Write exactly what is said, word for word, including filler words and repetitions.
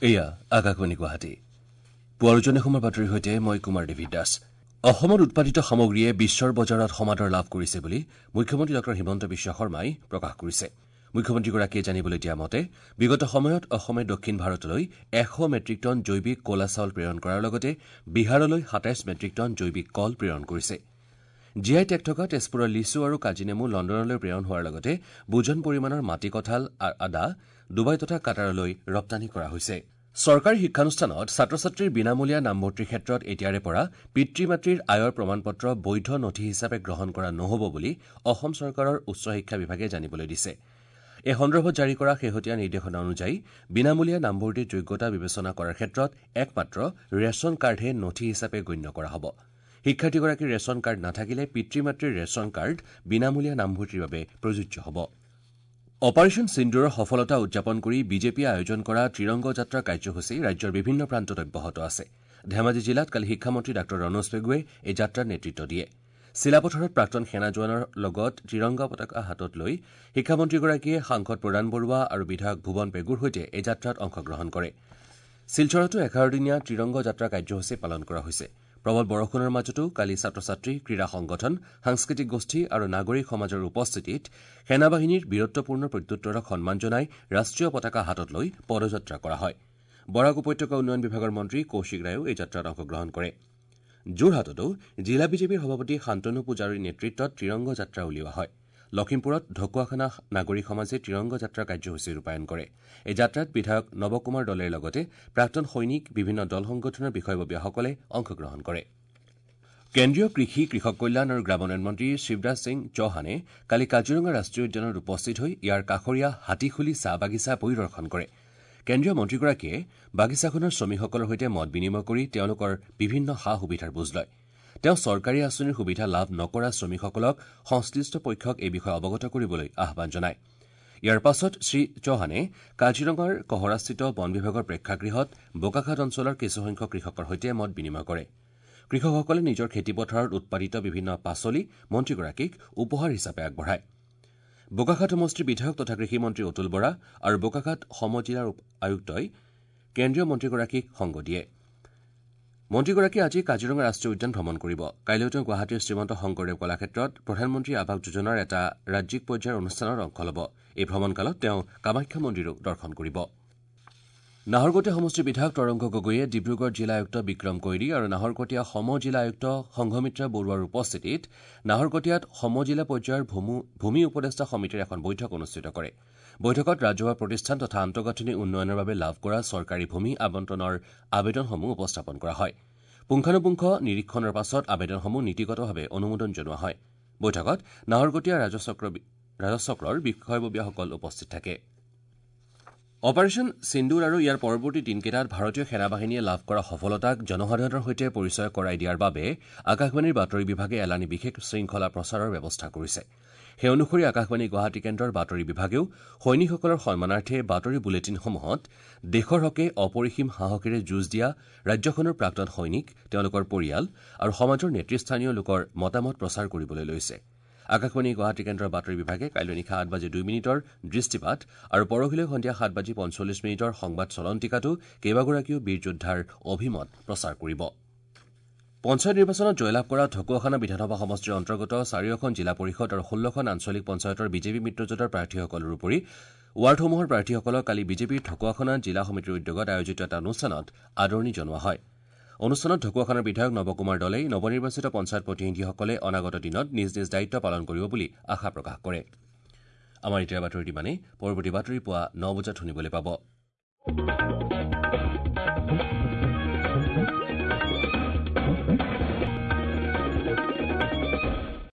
এয়া আকাশবাণী গুৱাহাটী। পুৱাৰ উজনি অসমৰ বাতৰিৰ সৈতে মই কুমাৰ দেৱী দাস। অসমত উৎপাদিত সামগ্ৰীয়ে বিশ্বৰ বজাৰত সমাদৰ লাভ কৰিছে বুলি মুখ্যমন্ত্ৰী ডঃ হিমন্ত বিশ্ব শৰ্মাই প্ৰকাশ কৰিছে। মুখ্যমন্ত্ৰীগৰাকীয়ে জানিবলৈ দিয়া মতে বিগত সময়ত অসমে দক্ষিণ ভাৰতলৈ এশ মেট্ৰিক টন জৈৱিক ক'লা চাউল প্ৰেৰণ কৰাৰ লগতে বিহাৰলৈ সাতাইছ মেট্ৰিক টন জৈৱিক কল প্ৰেৰণ কৰিছে। জি I tag থকা তেজপুৰৰ লিচু আৰু কাজিনেমু লণ্ডনলৈ প্ৰেৰণ হোৱাৰ লগতে বুজন পৰিমাণৰ মাটি কঁঠাল, আদা ডুবাই তথা কাটাৰলৈ ৰপ্তানি কৰা হৈছে। চৰকাৰী শিক্ষানুষ্ঠানত ছাত্ৰ ছাত্ৰীৰ বিনামূলীয়া নামভৰ্তিৰ ক্ষেত্ৰত এতিয়াৰে পৰা পিতৃ মাতৃৰ আয়ৰ প্ৰমাণপত্ৰ বৈধ নথি হিচাপে গ্ৰহণ কৰা নহ'ব বুলি অসম চৰকাৰৰ উচ্চ শিক্ষা বিভাগে জানিবলৈ দিছে। এই সন্দৰ্ভত জাৰি কৰা শেহতীয়া নিৰ্দেশনা অনুযায়ী বিনামূলীয়া নামভৰ্তিৰ যোগ্যতা বিবেচনা কৰাৰ ক্ষেত্ৰত একমাত্ৰ ৰেচন কাৰ্ডহে নথি হিচাপে গণ্য কৰা হ'ব। শিক্ষাৰ্থীগৰাকীৰ ৰেচন কাৰ্ড নাথাকিলে পিতৃ মাতৃৰ ৰেচন কাৰ্ড বিনামূলীয়া নামভৰ্তিৰ বাবে প্ৰযোজ্য হ'ব। অপাৰেচন সিন্দুৰৰ সফলতা উদযাপন কৰি বিজেপিয়ে আয়োজন কৰা ত্ৰিৰংগ যাত্ৰা কাৰ্যসূচী ৰাজ্যৰ বিভিন্ন প্ৰান্তত অব্যাহত আছে। ধেমাজি জিলাত কালি শিক্ষামন্ত্ৰী ডাঃ ৰণোজ পেগুৱে এই যাত্ৰাৰ নেতৃত্ব দিয়ে। চিলাপথাৰত প্ৰাক্তন সেনা জোৱানৰ লগত ত্ৰিৰংগা পতাকা হাতত লৈ শিক্ষামন্ত্ৰীগৰাকীয়ে সাংসদ প্ৰদান বৰুৱা আৰু বিধায়ক ভুৱন পেগুৰ সৈতে এই যাত্ৰাত অংশগ্ৰহণ কৰে। শিলচৰতো এঘাৰদিনীয়া ত্ৰিৰংগ যাত্ৰা কাৰ্যসূচী পালন কৰা হৈছে। প্ৰবল বৰষুণৰ মাজতো কালি ছাত্ৰ ছাত্ৰী, ক্ৰীড়া সংগঠন, সাংস্কৃতিক গোষ্ঠী আৰু নাগৰিক সমাজৰ উপস্থিতিত সেনাবাহিনীৰ বীৰত্বপূৰ্ণ প্ৰত্যুত্তৰক সন্মান জনাই ৰাষ্ট্ৰীয় পতাকা হাতত লৈ পদযাত্ৰা কৰা হয়। বৰাক উপত্যকা উন্নয়ন বিভাগৰ মন্ত্ৰী কৌশিক ৰায়েও এই যাত্ৰাত অংশগ্ৰহণ কৰে। যোৰহাটতো জিলা বিজেপিৰ সভাপতি শান্তনু পূজাৰীৰ নেতৃত্বত ত্ৰিৰংগ যাত্ৰা উলিওৱা হয়। লখিমপুৰত ঢকুৱাখানা নাগৰিক সমাজে ত্ৰিৰংগ যাত্ৰা কাৰ্যসূচী ৰূপায়ণ কৰে। এই যাত্ৰাত বিধায়ক নৱ কুমাৰ দলেৰ লগতে প্ৰাক্তন সৈনিক, বিভিন্ন দল সংগঠনৰ বিষয়ববীয়াসকলে অংশগ্ৰহণ কৰে। কেন্দ্ৰীয় কৃষি, কৃষক কল্যাণ আৰু গ্ৰামোন্নয়ন মন্ত্ৰী শিৱৰাজ সিং চৌহানে কালি কাজিৰঙা ৰাষ্ট্ৰীয় উদ্যানত উপস্থিত হৈ ইয়াৰ কাষৰীয়া হাতীখুলি চাহ বাগিচা পৰিদৰ্শন কৰে। কেন্দ্ৰীয় মন্ত্ৰীগৰাকীয়ে বাগিচাখনৰ শ্ৰমিকসকলৰ সৈতে মত বিনিময় কৰি তেওঁলোকৰ বিভিন্ন সা সুবিধাৰ বুজ লয়। তেওঁ চৰকাৰী আঁচনিৰ সুবিধা লাভ নকৰা শ্ৰমিকসকলক সংশ্লিষ্ট পক্ষক এই বিষয়ে অৱগত কৰিবলৈ আহ্বান জনায়। ইয়াৰ পাছত শ্ৰী চৌহানে কাজিৰঙাৰ কহৰাস্থিত বন বিভাগৰ প্ৰেক্ষাগৃহত বোকাখাট অঞ্চলৰ কিছুসংখ্যক কৃষকৰ সৈতে মত বিনিময় কৰে। কৃষকসকলে নিজৰ খেতিপথাৰত উৎপাদিত বিভিন্ন পাচলি মন্ত্ৰীগৰাকীক উপহাৰ হিচাপে আগবঢ়ায়। বোকাখাট সমষ্টিৰ বিধায়ক তথা কৃষিমন্ত্ৰী অতুল বৰা আৰু বোকাখাট সমজিলাৰ আয়ুক্তই কেন্দ্ৰীয় মন্ত্ৰীগৰাকীক সংগ দিয়ে। মন্ত্ৰীগৰাকীয়ে আজি কাজিৰঙা ৰাষ্ট্ৰীয় উদ্যান ভ্ৰমণ কৰিব। কাইলৈ তেওঁ গুৱাহাটীৰ শ্ৰীমন্ত শংকৰদেৱ কলাক্ষেত্ৰত প্ৰধানমন্ত্ৰী আৱাস যোজনাৰ এটা ৰাজ্যিক পৰ্যায়ৰ অনুষ্ঠানত অংশ ল'ব। এই ভ্ৰমণকালত তেওঁ কামাখ্যা মন্দিৰো দৰ্শন কৰিব। নাহৰকটীয়া সমষ্টিৰ বিধায়ক তৰংগ গগৈয়ে ডিব্ৰুগড় জিলা আয়ুক্ত বিক্ৰম কৈৰী আৰু নাহৰকটীয়া সম জিলা আয়ুক্ত সংঘমিত্ৰা বৰুৱাৰ উপস্থিতিত নাহৰকটীয়াত সম জিলা পৰ্যায়ৰ ভূমি উপদেষ্টা সমিতিৰ এখন বৈঠক অনুষ্ঠিত কৰে। বৈঠকত ৰাজহুৱা প্ৰতিষ্ঠান তথা আন্তঃগাঁথনি উন্নয়নৰ বাবে লাভ কৰা চৰকাৰী ভূমি আবণ্টনৰ আবেদনসমূহ উপস্থাপন কৰা হয়। পুংখানুপুংখ নিৰীক্ষণৰ পাছত আবেদনসমূহ নীতিগতভাৱে অনুমোদন জনোৱা হয়। বৈঠকত নাহৰকটীয়া ৰাজহচক্ৰৰ বিষয়ববীয়াসকল উপস্থিত থাকে। অপাৰেচন সিন্দুৰ আৰু ইয়াৰ পৰৱৰ্তী দিনকেইটাত ভাৰতীয় সেনাবাহিনীয়ে লাভ কৰা সফলতাক জনসাধাৰণৰ সৈতে পৰিচয় কৰাই দিয়াৰ বাবে আকাশবাণীৰ বাতৰি বিভাগে এলানি বিশেষ শৃংখলা প্ৰচাৰৰ ব্যৱস্থা কৰিছে। সেই অনুসৰি আকাশবাণী গুৱাহাটী কেন্দ্ৰৰ বাতৰি বিভাগেও সৈনিকসকলৰ সন্মানাৰ্থে বাতৰি বুলেটিনসমূহত দেশৰ হকে অপৰিসীম সাহসেৰে যুঁজ দিয়া ৰাজ্যখনৰ প্ৰাক্তন সৈনিক, তেওঁলোকৰ পৰিয়াল আৰু সমাজৰ নেতৃস্থানীয় লোকৰ মতামত প্ৰচাৰ কৰিবলৈ লৈছে। আকাশবাণী গুৱাহাটী কেন্দ্ৰৰ বাতৰি বিভাগে কাইলৈ নিশা আঠ বাজি দুই মিনিটৰ দৃষ্টিপাত আৰু পৰহিলৈ সন্ধিয়া সাত বাজি পঞ্চল্লিছ মিনিটৰ সংবাদ চলন্তিকাতো কেইবাগৰাকীও বীৰ যোদ্ধাৰ অভিমত প্ৰচাৰ কৰিব। পঞ্চায়ত নিৰ্বাচনত জয়লাভ কৰা ঢকুৱাখানা বিধানসভা সমষ্টিৰ অন্তৰ্গত চাৰিওখন জিলা পৰিষদ আৰু ষোল্লখন আঞ্চলিক পঞ্চায়তৰ বিজেপি মিত্ৰজোঁটৰ প্ৰাৰ্থীসকলৰ উপৰি ৱাৰ্ডসমূহৰ প্ৰাৰ্থীসকলক কালি বিজেপিৰ ঢকুৱাখানা জিলা সমিতিৰ উদ্যোগত আয়োজিত এটা অনুষ্ঠানত আদৰণি জনোৱা হয়। অনুষ্ঠানত ঢকুৱাখানাৰ বিধায়ক নৱকুমাৰ দলেই নৱনিৰ্বাচিত পঞ্চায়ত প্ৰতিনিধিসকলে অনাগত দিনত নিজ নিজ দায়িত্ব পালন কৰিব বুলি আশা প্ৰকাশ কৰে। আমাৰ এতিয়াৰ বাতৰি ইমানেই। পৰৱৰ্তী বাতৰি পুৱা ন বজাত শুনিবলৈ পাব।